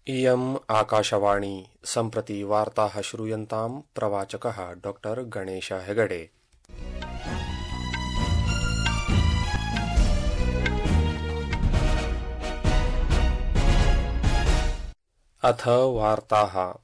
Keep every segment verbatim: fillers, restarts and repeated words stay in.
इयम् आकाशवाणी सम्प्रति वार्ताः श्रूयन्ताम् प्रवाचकः डॉक्टर गणेश हेगडे। अथ वार्ताः।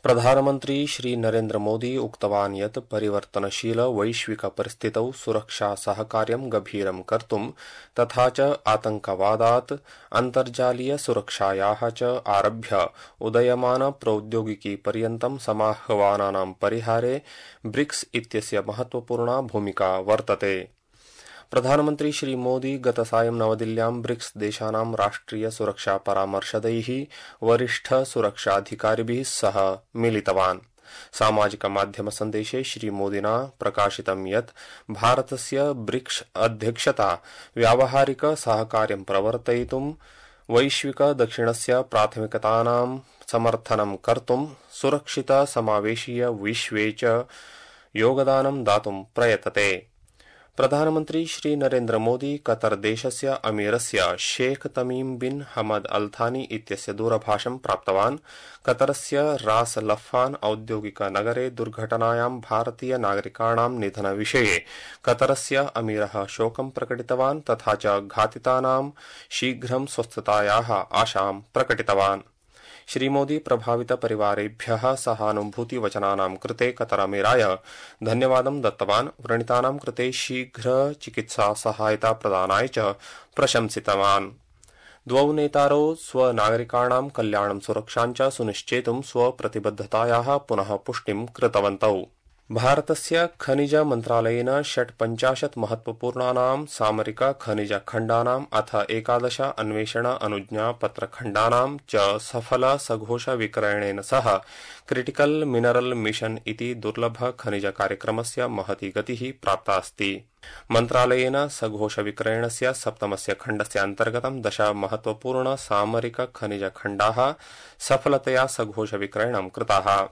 प्रधानमन्त्री श्री नरेन्द्र मोदी उक्तवान् यत् परिवर्तनशील वैश्विक परिस्थितौ सुरक्षा सहकार्यं गभीरं कर्तुं तथा च आतंकवादात् अन्तर्जालीय सुरक्षायाः च आरभ्य उदयमान प्रौद्योगिकी पर्यन्तं समाह्वानानां परिहारे ब्रिक्स इत्यस्य महत्वपूर्णा भूमिका वर्तते। प्रधानमन्त्री श्री मोदी गतसायं नवदिल्ल्यां ब्रिक्स देशानां राष्ट्रिय सुरक्षा परामर्शदैः वरिष्ठ सुरक्षाधिकारिभिः सह मिलितवान्। सामाजिक माध्यम सन्देशे श्री मोदिना प्रकाशितं यत् भारतस्य ब्रिक्स अध्यक्षता व्यावहारिक सहकार्यं प्रवर्तयितुं वैश्विक दक्षिणस्य प्राथमिकतानां समर्थनं कर्तुं सुरक्षित समावेशीय विश्वे च योगदानं दातुं प्रयतते। प्रधानमन्त्री श्री नरेन्द्र मोदी कतर देशस्य अमीरस्य शेख तमीम बिन हमद अल थानी इत्यस्य दूरभाषं प्राप्तवान्। कतरस्य रास लफ्फान औद्योगिक नगरे दुर्घटनायां भारतीय नागरिकाणां निधनविषये कतरस्य अमीरः शोकं प्रकटितवान् तथा च घातितानां शीघ्रं स्वस्थतायाः आशां प्रकटितवान्। श्रीमोदी प्रभावित परिवारेभ्यः सहानुभूतिवचनानां कृते कतरमीराय धन्यवादं दत्तवान्। व्रणितानां कृते शीघ्र चिकित्सा सहायता प्रदानाय च प्रशंसितवान्। द्वौ नेतारौ स्वनागरिकाणां कल्याणं सुरक्षां च सुनिश्चेतुं स्वप्रतिबद्धतायाः पुनः पुष्टिं कृतवन्तौ। भारतस्य खनिज मन्त्रालयेन षट्पञ्चाशत् महत्वपूर्णानां सामरिक खनिज खण्डानाम् अथ एकादश अन्वेषण अनुज्ञापत्रखण्डानां च सफल सघोष विक्रयणेन सह क्रिटिकल मिनरल मिशन इति दुर्लभ खनिज कार्यक्रमस्य महती गतिः प्राप्ता अस्ति। मन्त्रालयेन सघोष विक्रयणस्य सप्तमस्य खण्डस्य अन्तर्गतं दश महत्वपूर्ण सामरिक खनिज खण्डाः सफलतया सघोष विक्रयणं कृताः।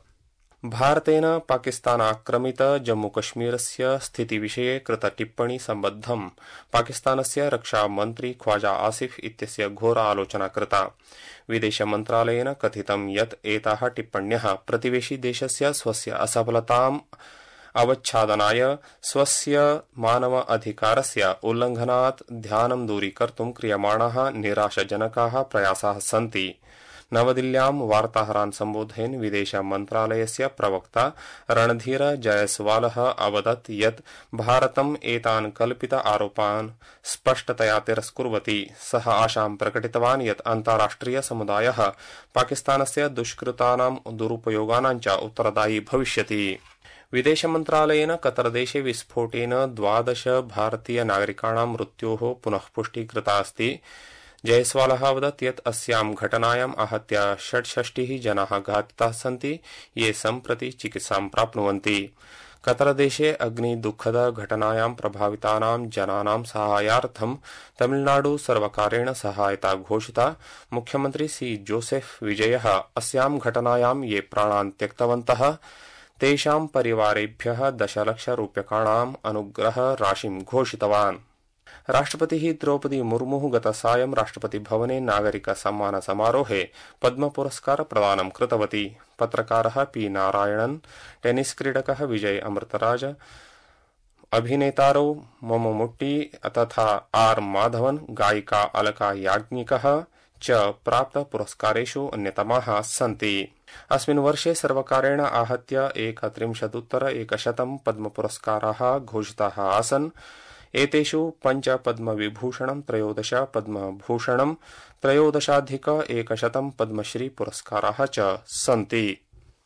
भारतेन पाकिस्तानाक्रमित जम्मूकश्मीरस्य स्थितिविषये कृत टिप्पणी सम्बद्धं पाकिस्तानस्य रक्षामन्त्री ख्वाजा आसिफ इत्यस्य घोर आलोचना कृता। विदेशमन्त्रालयेन कथितं यत् एताः टिप्पण्यः प्रतिवेशी देशस्य स्वस्य असफलताम् अवच्छादनाय स्वस्य मानव अधिकारस्य उल्लङ्घनात् ध्यानं दूरीकर्तुं क्रियमाणाः निराशजनकाः प्रयासाः सन्ति। नवदिल्ल्यां वार्ताहरान् सम्बोधयन् विदेश मन्त्रालयस्य प्रवक्ता रणधीर जयसवालः अवदत् यत् भारतम् एतान् कल्पित आरोपान् स्पष्टतया तिरस्कुर्वति। सः आशां प्रकटितवान् यत् अन्ताराष्ट्रिय समुदायः पाकिस्तानस्य दुष्कृतानां दुरुपयोगानां च उत्तरदायी भविष्यति। विदेशमन्त्रालयेन कतरदेशे विस्फोटेन द्वादश भारतीय नागरिकाणां मृत्योः पुनः पुष्टिः कृता अस्ति। जयसवालः अवदत् यत् अस्यां घटनायाम् आहत्य षट्षष्टिः जनाः घातिताः सन्ति, ये सम्प्रति चिकित्सां प्राप्नुवन्ति। कतरदेशे अग्निदुःखद घटनायां प्रभावितानां जनानां साहाय्यार्थं तमिलनाडु सर्वकारेण सहायता घोषिता। मुख्यमन्त्री सी जोसेफ विजयः अस्यां घटनायां ये प्राणान् त्यक्तवन्तः तेषां परिवारेभ्यः दशलक्षरूप्यकाणाम् अनुग्रह राशिं घोषितवान्। राष्ट्रपतिः द्रौपदी मुर्मुः गतसायं राष्ट्रपतिभवने नागरिक सम्मान समारोहे पद्म पुरस्कार प्रदानं कृतवती। पत्रकारः पी नारायणन्, टेनिस क्रीडकः विजय अमृतराज, अभिनेतारौ मममुट्टी तथा आर माधवन, गायिका अलका याज्ञिकः च प्राप्त पुरस्कारेषु अन्यतमाः सन्ति। अस्मिन् वर्षे सर्वकारेण आहत्य एकत्रिंशदुत्तर एकशतं पद्म पुरस्काराः घोषिताः आसन्। एतेषु पञ्च पद्मविभूषणं, त्रयोदश पद्मभूषणं, त्रयोदशाधिक एकशतं पद्मश्री पुरस्काराः च सन्ति।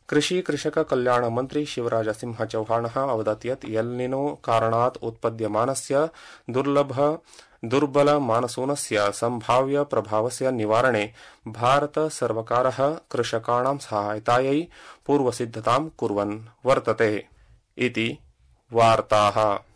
कृषि कृषक कल्याण मन्त्री शिवराज सिंह चौहानः अवदत् यत् एल्निनो कारणात् उत्पद्यमानस्य दुर्लभ दुर्बल मानसूनस्य सम्भाव्य प्रभावस्य निवारणे भारत सर्वकारः कृषकाणां सहायतायै पूर्वसिद्धतां कुर्वन् वर्तते इति वार्ताः।